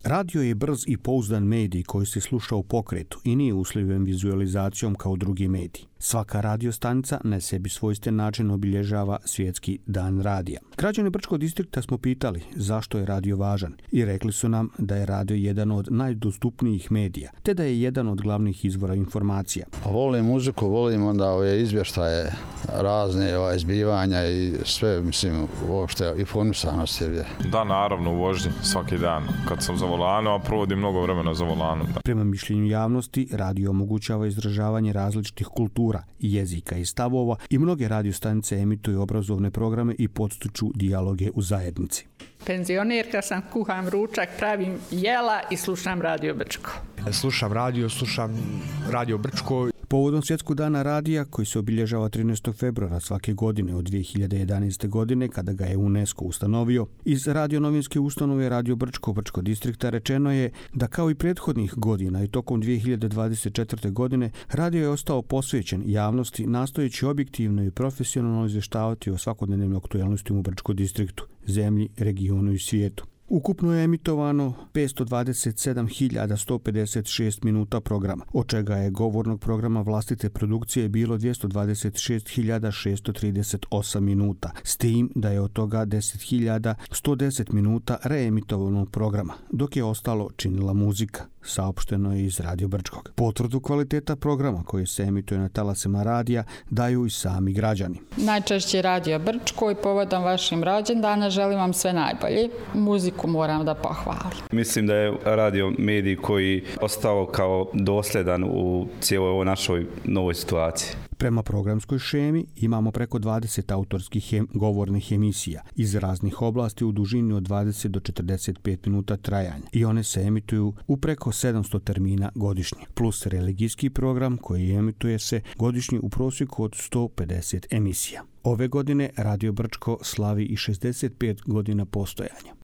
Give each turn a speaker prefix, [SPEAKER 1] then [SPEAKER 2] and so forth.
[SPEAKER 1] Radio je brz i pouzdan medij koji se sluša u pokretu i nije uslovljen vizualizacijom kao drugi mediji. Svaka radiostanica na sebi svojstven način obilježava svjetski dan radija. Građani Brčkog distrikta smo pitali zašto je radio važan i rekli su nam da je radio jedan od najdostupnijih medija, te da je jedan od glavnih izvora informacija.
[SPEAKER 2] Volim muziku, volim onda ove izvještaje, razne zbivanja i sve, mislim, uopšte informisanost je.
[SPEAKER 3] Da, naravno, u vožnji svaki dan. Kad sam za volanom, a provodim mnogo vremena za volanom. Da.
[SPEAKER 1] Prema mišljenju javnosti, radio omogućava izražavanje različitih kultura, jezika i stavova i mnoge radiostanice emituju obrazovne programe i podstiču dijaloge u zajednici.
[SPEAKER 4] Penzionerka sam, kuham ručak, pravim jela i slušam Radio Brčko.
[SPEAKER 5] Slušam Radio Brčko.
[SPEAKER 1] Povodom Svjetskog dana radija, koji se obilježava 13. februara svake godine od 2011. godine, kada ga je UNESCO ustanovio, iz radionovinske ustanove Radio Brčko Brčkog distrikta rečeno je da kao i prethodnih godina i tokom 2024. godine radio je ostao posvećen javnosti, nastojeći objektivno i profesionalno izvještavati o svakodnevnim aktualnostima u Brčkom distriktu, zemlji, regionu i svijetu. Ukupno je emitovano 527.156 minuta programa, od čega je govornog programa vlastite produkcije bilo 226.638 minuta, s tim da je od toga 10.110 minuta reemitovanog programa, dok je ostalo činila muzika, saopšteno je iz Radio Brčkog. Potvrdu kvaliteta programa koji se emituje na talasima radija daju i sami građani.
[SPEAKER 4] Najčešće Radio Brčko i povodom vašim rođendana želim vam sve najbolje. Muziku moram da pohvalim.
[SPEAKER 6] Mislim da je radio medij koji ostao kao dosljedan u cijeloj ovoj našoj novoj situaciji.
[SPEAKER 1] Prema programskoj šemi imamo preko 20 autorskih govornih emisija iz raznih oblasti u dužini od 20 do 45 minuta trajanja i one se emituju u preko 700 termina godišnje, plus religijski program koji emituje se godišnje u prosjeku od 150 emisija. Ove godine Radio Brčko slavi i 65 godina postojanja.